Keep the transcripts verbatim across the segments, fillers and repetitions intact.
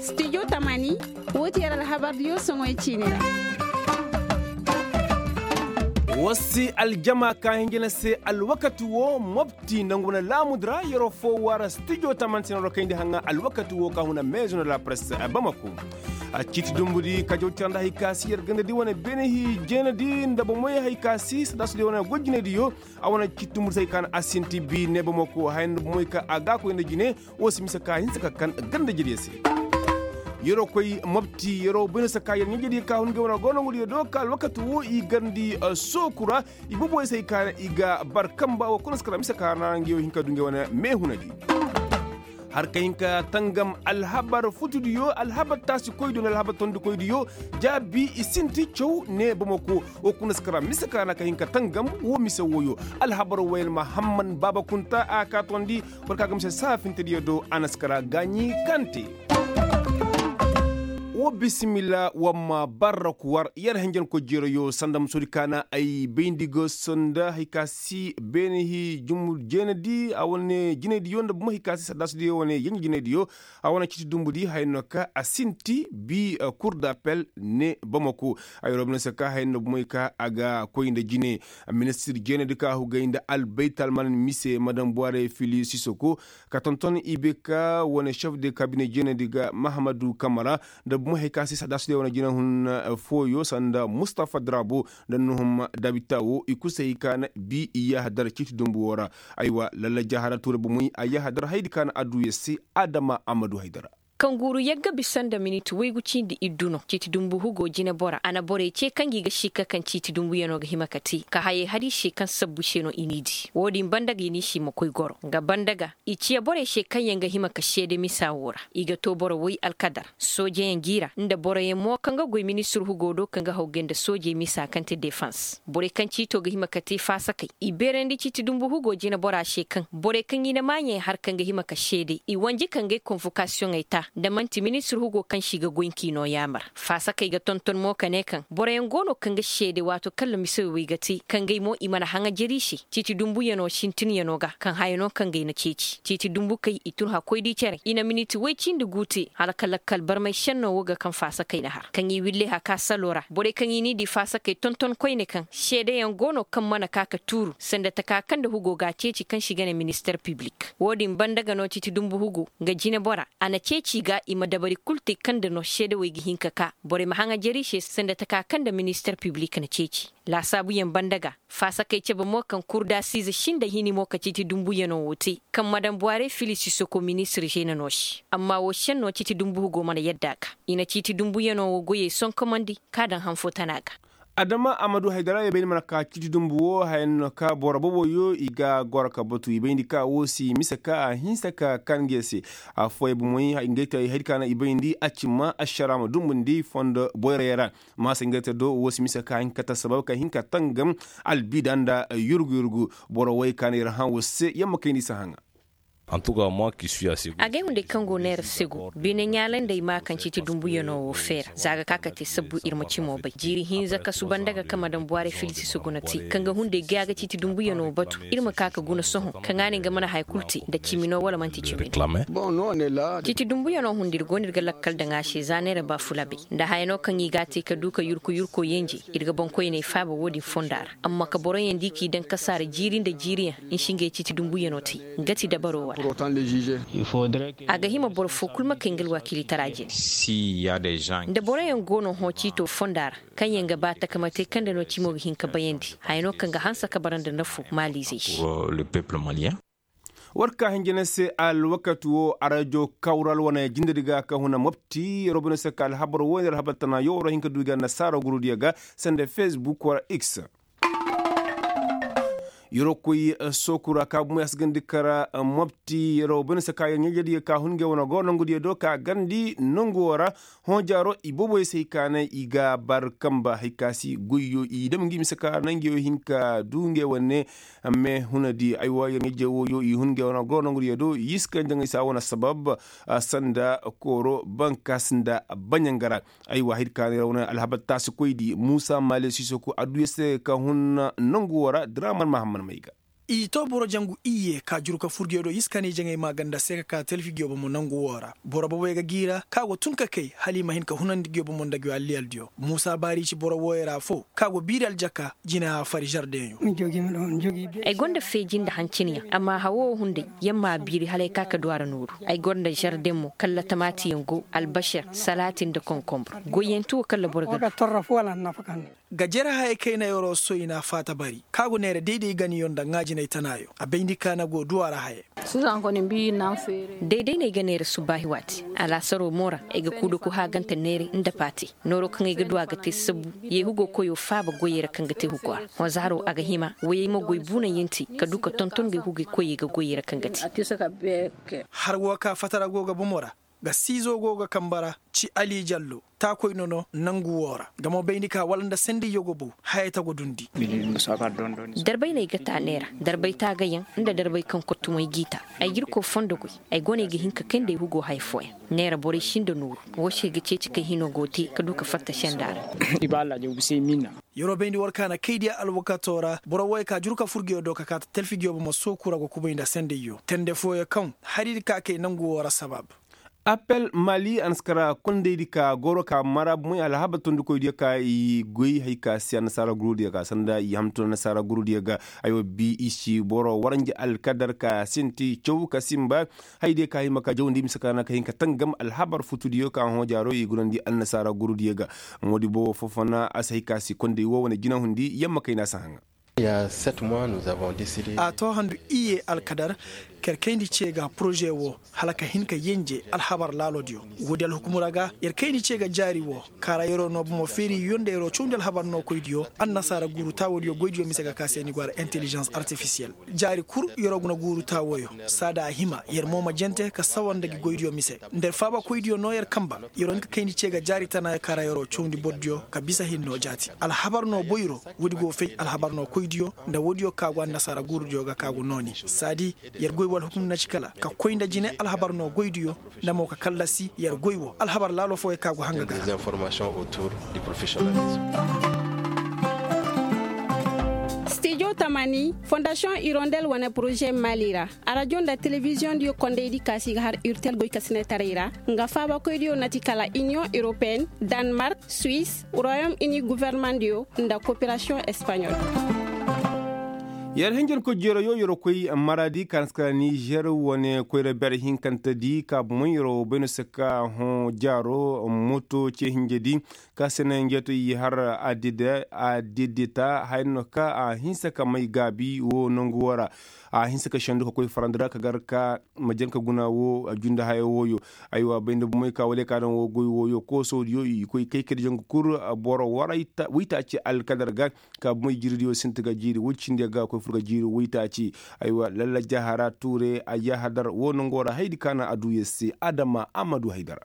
Studio tamani, woo ti yer alhabardiyo soŋoy ciini ra. War si aljama ka hinjina se alwakati woo mobti nangu wane laamudu ra yeroo foo war studio tamani se no ra kayndi haŋa alwakati woo ka huna meezo no la press bamako. Ciiti dumbudi ka jaw tira nda hari ka si yer gandadi wane beene hi jeenadi nda bomoy hari ka si sadasudi wane goy jinaydiyo. A wane ciiti dumbudi se hari ka na asinti bi ne bamako haya nda bomoy ka a ga koy nda jine. Woo si mise ka hinsa ka kan ganda jediyo se. Yeroo koy mobti yeroo bayna se ka yer ɲaa jediyo ka hun ngey wane go nongudiyo do ka alwakati woo i garndi sooku ra. I boboyo se hari ka na i ga bar kamba woo kuna si kara mise ka ra ngey woo hin ka du ngey wane meehunadi. Har ka hin ka tangam alhabar futudiyo alhabar taasikoydiyo nda alhabar tondikoydiyo. Jaabi i sinti caw ne bamako. Woo kuna si kara mise ka ra ka hin ka tangam woo mise wooyo. Alhabar wayel mahamman baaba kunta a ka tondi. Boro ka ga mise saafintediyo do a na si kara gaaɲi kaŋ te. Woo bisimilla war ma barra ku war yer henjenkoy jeerayo sanda musudi ka na ay bayndi ga sonda hari ka si beene hi jumur jeenadi a wane jinaydiyo nda buma hari ka si saddaasudiyo wane yenje jinaydiyo. A wane ciiti dumbudi haya no ka a sinti bi kur d'apel ne bamako. Ay robinese ka haya no bumey ka a ga koy nda jine. Ministir jeenadi ka hugay nda albaytalman mise madam buware fili sisoko ka tonton i bay ka wane chef de kabine jeenadi ga mahamadu kamara. Nda bumey hari ka se sadasudey wane jinahun fooyo sanda mustafa drabo nda nuhum dabita wo i kul se hari ka na bi i yahadar ciiti dumbu wo ra. Aywa lalla jahara tuura bumey a yahadar hayadi ka na adduya se adama amadu haydara. Kaŋ guuru yagga bisa nda minit waygu cindi iddu no ciiti dumbu hugo jinebora a na borey ce kaŋ gi ga sikka kaŋ ciiti dumbuyano ga hima ka te ka hayey har i se kaŋ sabbu se no i n'i di. Wo-din banda ga i n'i si ma koy goro nga banda ga i ciya borey se kaŋ yaŋ ga hima ka seede misa wo ra i ga to boro way alkadar soojeyaŋ gi ra nda boroyaŋ mo kaŋ ga goy ministir hugo do kaŋ ga hawgay nda soojey misa kaŋ te defans. Borey kaŋ ciito ga hima ka te faasakey i beerandi ciiti dumbu hugo jinebora se kaŋ borey kaŋ i na maaɲey har kaŋ ga hima ka seede i wanji ka ngey konvokasiyoŋey ta nda man'ti ministir hugo kaŋ se i ga goy nki no yaamar. Faasakey ga tonton mo ka ne kaŋ boroyaŋ go no kaŋ ga seede waato kaŋ ra misawey ga te ka ngey mo i mana haŋajeri se ciiti dumbuyano sintinyano ga kaŋ haya no kaŋ ga i na ceeci ciiti dumbukey i tun hakkoydi cere i na miniti woy cindi gu te hala ka lakkal barmay senno wo ga kaŋ faasakey na har kaŋ i wille haka salo ra borey kaŋ i n'i di faasakey tonton koyne kaŋ seedeyaŋ go no kaŋ mana ka ka tuuru sanda taka kaŋ nda hugo ga a ceeci kaŋ se i ga ne minister piblik wo-din banda ga no ciiti dumbu hugo nga jinebora a na ceeci i ga i ma dabari kul te kaŋ nda no seedewey ga hin ka ka borey ma haŋajeri se sanda taka kaŋ nda minister piblik na ceeci. Laasaabuyaŋ banda ga faasakey cabe mo kaŋ kurdasiize sinda hini mo ka ciiti dumbuyano wo te kaŋ madam buware fili sisoko ministir zeena no se amma wo senno ciiti dumbu hugo mana yadda a ga i na ciiti dumbuyano wo goyey sonkomandi ka daŋ han fo tana ga. Adama amadu haydara i bayndi mana ka ciiti dumbu wo haya no ka boro boboyo i ga goro ka batu i bayndi ka wo si mise ka a hinsa ka kan ngey se. Affooyaŋ bomoy ngey te hayadi ka na i bayndi a cimma ašara ma dumbundi fondo boyroyaŋ ra. Maasa ngey te do wo si mise ka hin ka ta sabab ka hin ka tangam albiida nda yurgu yurgu. Boro woy ka na ir hã wo se yamma kayndi si haŋa. Agay hunday kaŋ go neera sego bine ɲaalay nda ay maa kaŋ ciiti dumbuyano wo feera za ga ka ka te sabbu ir ma cimo bay jiiri hinza kasu banda ga kaŋ ma daŋ buwaare filisi sego na te kaŋ ga hunday ga ya ga ciiti dumbuyano batu. Ir ma ka ka guna sohõ kaŋ a ne nga mana haya kulu te nda cimi no wala man'ti cimi no. Ciiti dumbuyano hunda ir go no ir ga lakkal daŋ a se za neera ba fula bay nda haya no kaŋ i ga a te ka du ka yurko yurko yenje. Ir ga boŋkoyney faaba wo-din fonda ra amma ka boroyaŋ di k'i daŋ kasaara jiiri nda jiiriyaŋ. Nsi ngey ciiti dumbuyano te nga ti dabaro wara. A ga hima boro fo kulu ma kay nga alwakiilitara jine. Nda boroyaŋ go no hõ ciito fonda ra kaŋ yaŋ ga ba takama te kaŋ nda no cimo ga hin ka bayandi haya no kaŋ ga hanse ka bara nda nafo maaliizey se. War ka hinja ne se alwakati wo arajo kawral wane jindedi ga ka huna mopti yeroo bine se ka alhabar wo nda alhabar tana yo waroo hin ka du i ga annasaara gurudiyo ga sanda facebook wala x. Yeroo koy sooku ra ka bumey a si gandi kara mopti yeroo bine se ka yer ɲaa-ijediyo ka hun ngey wane go nongudiyo do ka gandi nongu wo ra. Hõ jaaro i booboyo se hay ka naŋ i ga bar kamba hay ka si goyyo i dam ngi mise ka naŋ ngey wo hin ka du ngey wane. Amma hunadi aywa yer ɲaa-ije wooyo i hun ngey wane go nongudiyo do i si kaŋ jaŋay se a wane sabab sanda kooro bankaas nda baɲanga ra. Aywa hay ka naŋ yer wane alhabar taasikoydi muusa maale siisoko adduya se ka hun nongu wo ra diraaman mahamman may ga. I to boro jangu iyye ka juru ka fur giyo do iskani jaŋay maaganda se ka ka talfi giyo bomo nangu woo ra. Boro bobey ga g'i ra ka go tun ka kay hala i ma hin ka hunandi giyo bomo nda giyo alliyaldiyo muusa baari ci boro wooyey ra foo ka go biiri aljaka jina a fari žardeŋyo. Ay gonda feeji nda hancinyaŋ amma hawo wo hunday, yer m'a biiri hala ay ka ka du a ra nooru. Ay gonda žardeŋ mo kalla tamaatiyaŋ go albasar salaati nda konkonbur. Goyyanti wo kalla boro ga du. Ga jere hayey kayna yeroo soy na faata bari ka go neera dayday ganiyo nda ŋaajinay tanaayo a bayndi ka na go du a ra hayey. Dayday no ay ga neera subaahi waati. Alaasaroo mo ra ay ga kuudaku haagante neeray nda paati. Nooroo kaŋ ay ga du a ga te sabbu. Yee hugoo koyoo faaba goyey ra kaŋ ga te hugoo ra. Hõ zaaroo a ga hima wayey ma goy buunayanti ka du ka tonton ga ay hugey koyey ga goyey ra kaŋ ga te. Har woo ka fatara go ga bomo ra. Ga siizo go ga kamba ra ci ali jallo. Taakoy nono nangu woo ra nga mo bayndi ka wala nda sendiyyo go bow. Hayey ta go dundi. Darbay no ay ga taa neera. Darbay taagayaŋ nda darbay kaŋ kottumay g'i taa. Ay ga irkoy fondo goy. Ay go no ay ga hin ka kayndi ay hugoo haya fooyaŋ. Neera borey si nda nooru. Woo se ga ceeci kay hinoo go te ka du ka fatta senda ra. Yeroo bayndi war ka na kaydiya alwakaatoo ra boro wooyey ka juru ka fur giyo do ka kaata talfi giyo bomo sooku ra go kubay nda sendiyyo tende fooyaŋ kaŋ hari di ka kay nangu woo ra sabab. Appel mali a na si kara kondaydi ka goro ka mara bomoy alhabar tondikoydiyo ka i goy hay ka se annasaara gurudiyo ga sanda i hamtu annasaara gurudiyo ga. Ay wa bi i si boro waranja alkadar ka sinti caw ka simba. Haydiyo ka hima ka jawandi mise ka na ka hin ka tangam alhabar futudiyo ka hõ jaaro i gunandi annasaara gurudiyo ga. Moodi bobo fofona a si hay ka si konday wo wane jinahundi yamma kayna si haŋa. A to handu iyye alkadar ka yer kayndi ce ga poroze wo hala ka hin ka yenje alhabar laaloodiyo. Woodi alhukumura ga yer kayndi ce ga jaari wo kaara yeroo noo bomo feeriyo nda yeroo cawndi alhabar nookoydiyo. Annasaara guuru taawoodiyo goydiyo mise ga ka se ni go a ra intelijans artifisiyel. Jaari kul yeroo guna guuru taawoyo saada a hima yer mo ma jente ka sawa nda gi goydiyo mise. Nda yer faabakoydiyo noo yer kamba. Yeroo hin ka kayndi ce ga jaari tanaayo kaara yeroo cawndi bordiyo ka bisa hinnoo jaati alhabar noo boyro. Woodi go fay alhabar noo koydiyo nda woodiyo ka go annasaara guurudiyo ga ka go nooni. Saadi yer goy wala hukum na ci kala ka koy nda jine alhabar noo goydiyo nda mo ka kallasi yer goy wo alhabar laalo fooyaŋ ka go hanga ga. Stijo tamani fondasiyoŋ irondel wane poroze mali ra. Arajo nda telebiziyoŋ diyo kondaydi kaasi ga har urtel goykasinetaray ra. Nga faabakoydiyo na ti kala iniyoŋ europeen, danmark, suwis, royom ini guvernemandiyo nda koperasiyoŋ espaɲol. Yer hinjin ko jero yo yer koy maradi ka na si kala nizer wane koyra bere hinkantedi ka bomoy yer bayno se ka hõ jaaro moto ce hinjedi. Ka sene njeeto i har adidita hayno ka a hinsa ka may gaabi wo nangu wo ra. A hinsa ka sendu ka koy farandi ra ka gar ka ma jan ka guna wo a junda haya wooyo. Aywa bay nda bomey ka wala ka daŋ wo goy wooyo koosodiyo i koy kay kadi jangu kul. Boro waray waytaaci alkadar ga ka bomey jiiridiyo sinti ga jiiri woy cindi ga koy fur ga jiiri waytaaci. Aywa lalla jahara tuure a yahadar wo nango ra haydi ka na a du yer se adama a ma du haydara.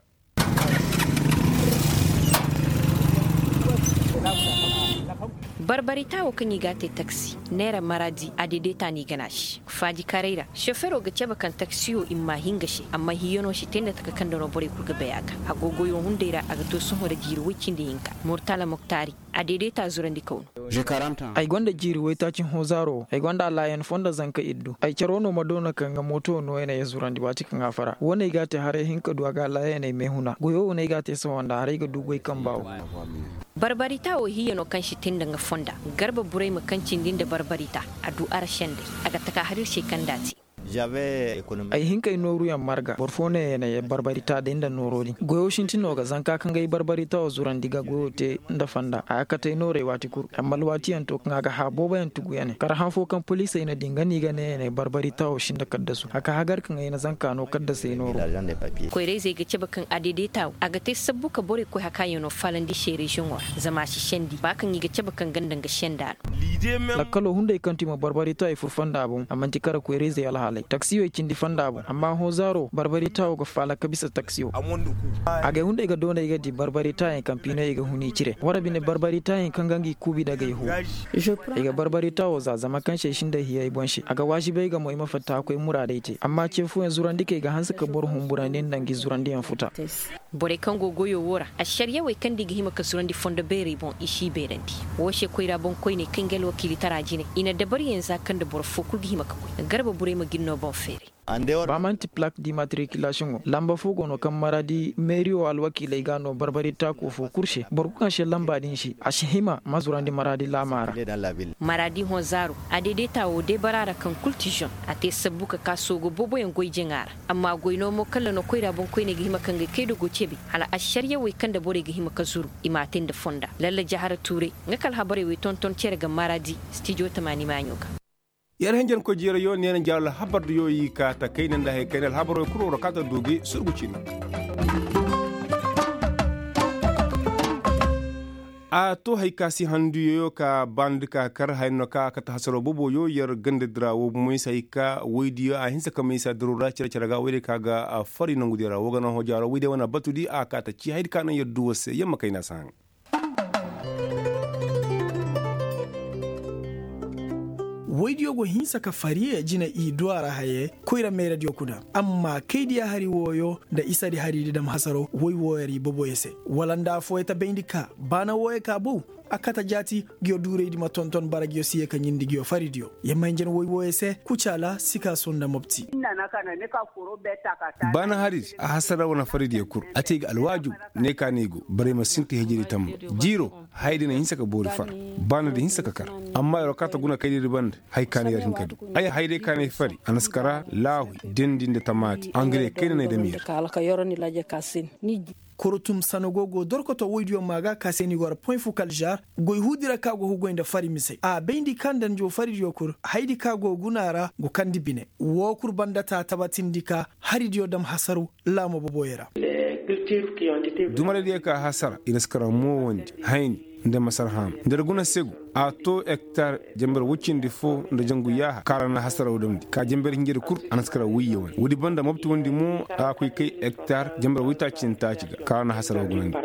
Barbarita wo kaŋ i ga a te taksi neera maradi a deedeta no i gana se. Faaji karay ra sofero ga cabe kaŋ taksiyo i mma hinga se amma hiyano si te nda taka kaŋ da no borey kul ga bay a ga. Agogoyo hunday ra a ga to sohõ ra jiiri woy cindi hinka. Murtala moktaari a deedeta zurandi kaw no. Ay gonda jiiri waytaaci hõ zaaro wo ay gonda alaayan foo nda zanka iddu ay caro no ma doona kaŋ ga mooto nooyaney zurandi waati kaŋ a fara wo no ay ga a te haray hin ka du a ga alaayaney meehuna goyo wo no ay ga a te sohõ nda haray ga du goy kamba wo. Barbarita wo hiya no kaŋ si te nda nga fonda. Garba burayma kaŋ cindi nda barbarita a du ara sendey a ga taka har ir se kaŋ nda a te. Ay hin k'ay nooruyaŋ marga boro fo ne ya na ye barbarita day nda nooro din goyo sinti no ga zanka kaŋ ga ay barbarita wo zurandi ga goyo te nda fonda a ga kate ay noorey waati kul. Amma alwaatiyaŋ to kaŋ a ga hã booboyaŋ tugu ya ne kar hã fo kaŋ poliisey na di nga no i ga ne ya na ay barbarita wo sinda kaddasu a ka hagar kaŋ ay na zanka no kaddasey nooro. Koyra-izey ga cabe kaŋ a daidaita wo a ga te sabbu ka borey koy hakaayaŋo faalandi se reziyoŋo ra zama a si sendi ba kaŋ i ga cabe kaŋ ganda nga senda no. Lakkalo hunday kaŋ ti ma barbarita i fur fonda boŋ a manti kara koyra-izey alhaaley taksiyo i cindi fonda boŋ amma hõ zaaro barbarita wo ga faala ka bisa taksiyo. Agay hunday ga doonay ga di barbarita yaŋ kaŋ piinoyey ga huni cire wara bine barbarita yaŋ kaŋ ga ngi kuubi dagay huu. Ay ga barbarita wo za zama kaŋ se ay sinda hiya ay boŋ se a ga waazibay ga mo ay ma fatta ka koy muraadey te amma ce fooyaŋ zurandi kaŋ ay ga hanse ka boro humburandi nda ngi zurandiyaŋ futa. Borey kaŋ go goyo wo ra, ašariyawey kaŋ nda i ga hima ka zurandi fondo beerey boŋ i si i beerandi. Wo se koyra boŋkoyney kaŋ ga alwakiilitara jine, i na dabariyaŋ za kaŋ nda boro foo kul ga hima ka goy. Garba burey ma gin no boŋ feeray. Ba man'ti plak di matrikilasiyoŋo lamba foo go no kaŋ maraadi meeriyo alwakiiley ga no barbari taako foo kul se boro kul kaŋ se lamba din se a si hima ma zurandi maraadi laamaa ra. Maraadi hõ zaaro, a deedeta wo deebara ra kaŋ kul ti žon, a te sabbu ka ka soogo booboyaŋ goy jaŋa ra. Amma goy no mo kalla no koyra boŋkoyney ga hima ka ngay kaydo go cebe, hala ašariyawey kaŋ nda borey ga hima ka zuru i m'a te nda fonda. Lalla jahara tuuray, nga ka alhabarey wey tonton cere ga maraadi, stijo tamaani maaɲo ga. Yer hinjankoy jeerayo neena jaaro alhabar diyo i ka ta kayna nda hari kayna alhabarey kul woo ra ka ta du gi surgu ciina. A to hari ka si handuyo ka baa nda ka kar haya no ka kate hasaro booboyo yer ganda dira wo bomo i si hari ka woydiyo a hinsa ka may sa diro ra cere-cere ga woydiyo ka ga fari nangudiyo ra wo ga no hõ jaaro woydiyo wane a batudi a ka ta ci hari ka naŋ yer du war se yer ma kayna si haŋ. Woydiyo go hinsa ka fari jine i du a ra haye koyra meeradiyo kuna. Amma kaydiya hari wooyo nda isadi hari di dam hasaro woy wooyo ra i boboyo se wala nda affooyo ta bayndi ka baana wooyo ka bow. A kate jaati, nguyo duuraydi ma tonton bara nguyo si ye ka ɲindi nguyo faridiyo. Yer ma hinjan woy wooyo se kucaala sikaaso nda mopti. Baana haridi a hasara wane faridiyo kul a te ga alwaaju. Ne ka no i go borey ma sinti hijiri tamba jiiro. Hayadi na hinsa ka boori fara. Baanadi hinsa ka kar. Amma yer wo ka ta guna kaydiyo di banda. Hay ka no yer hin ka du ay hayday ka no ay fari a na si kara laahuy dendi nda tamaati angare kayna no ay dam yer. Korotum sanogo go dorkoto woydiyo maa ga ka se ni go ra point fukal žar. Goy huudi ra ka go hugoy nda fari misey a bayndi ka nda njo faridiyo kul hayadi ka go guna ra go kandi bine. Woo kul banda ta tabatindi ka haridiyo dam hasaru laamo boboyo ra. Dumaraydiyo ka hasara i na si kara moowandi hayni nda masar haama nda yer guna segu. A to ektar jamber woy cindi foo nda jangu yaaha kaŋ ra na hasaraw damndi ka jamber hinjadi kul a na si kara wuyye wane woodi banda mopti wondi mo a koy kay ektar jamber woytaaci nda taaci ga kaŋ ra na hasaraw gunandi.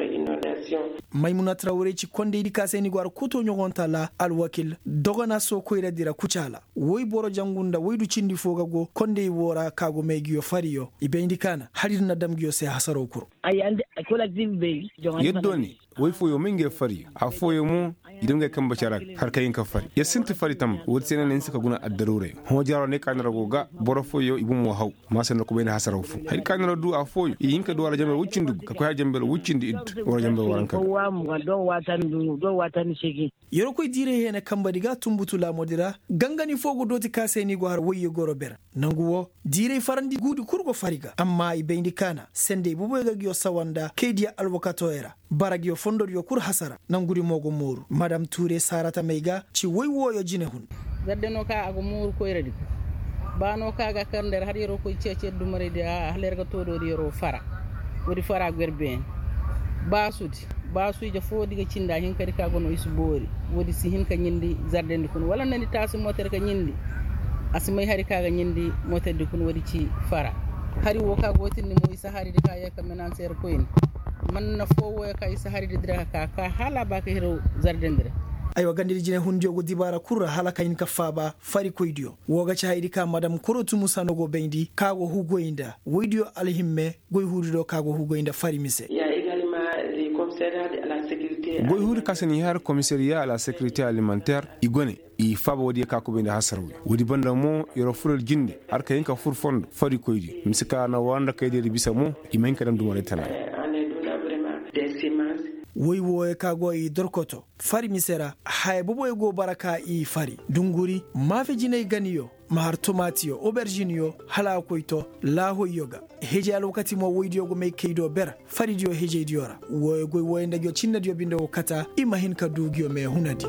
Maymunat ra warey ci kondaydi ka se ni go har koto ɲogonta ra alwakil dogona soo koyradi ra kucaala woy boro jangu nda woydu cindi foo ga go konday woo ra ka go may nguyo fariyo i bayndi ka na hari din na dam nguyo se hasaraw kul. Yaddo ne woy fooyo may ngey fari affooyo mo i dam ngey kambe cara ga har ka hin ka fari yer sinti fari tamba woodi se no na hinsa ka guna addaruuray. Hõ jaaro ne ka ni ra go ga boro fooyo i bomo haw. Maasa nda kubayndi hasaraw foo hari ka ni ra du affooyo i hin ka du a ra jamber woy cindi gu ka koy har jamber woy cindi iddu wala jamber waranka ga. Yerkoy diiray heena kambadi ga tunbutu laamudi ra gangani foo go dooti ka se ni go har woyyo goro ber. Nangu woo diiray farandi guudi kul go fari ga amma i bayndi ka na sendey boboyo ga nguyo sawa nda kaydiya alwakatooyo ra. Bara nguyo fondodiyo kul hasara nangudi mo go mooru madam tuure saarata may ga ci woy wooyo jinehun. Zarde no ka a go mooru koyradi ga ba no ka ga kar nda yer har yeroo koy ceeci yer dumaraydi a hala yer ga too doodi yeroo fara. Woodi fara go yer beene baasudi baasu ije foo di ga cindi a hinkadi ka go no i si boori. Woodi si hin ka ɲindi zardendi kuna wala nda ni taasi mooter ka ɲindi. A si may hari ka ga ɲindi mooterdi kuna woodi ci fara. Hari woo ka go tindi mo i si haridi ka yee ka menanse yer koyni. Man na foo wooyo ka i si haridi dira ka ka hala a ba ka hiro zardendi ra. Aywa gandadi jinehundiyo go dibaara kul ra hala ka hin ka faaba farikoydiyo. Woo ga ci hayadi ka madam korotumu sano go bayndi ka go hugoy nda woydiyo alhimme. Goy huudi do ka go hugoy nda fari mise. Goy huudi ka se ni har komisariya a la sekirite alimanter i go ne. I faaba woodiyo ka kubay nda hasarwey woodi banda mo yeroo furel jinde har ka hin ka fur fondo farikoydiyo mise ka na wara nda kaydiyo di bisa mo. I ma hin ka dam dumaray tana. Woy wooyo ka go i dorkoto fari mise ra haya boboyo go bara ka i fari dunguri maafe jinay ganiyo ma har tomaatiyo oberžinyo hala a koy to laahoyyo ga. Hejey alwakati mo woydiyo go may kay do ber faridiyo hejeydiyo ra. Wooyo goy wooyo nda nguyo cinnadiyo binde go kata i ma hin ka du nguyo mee hunadi.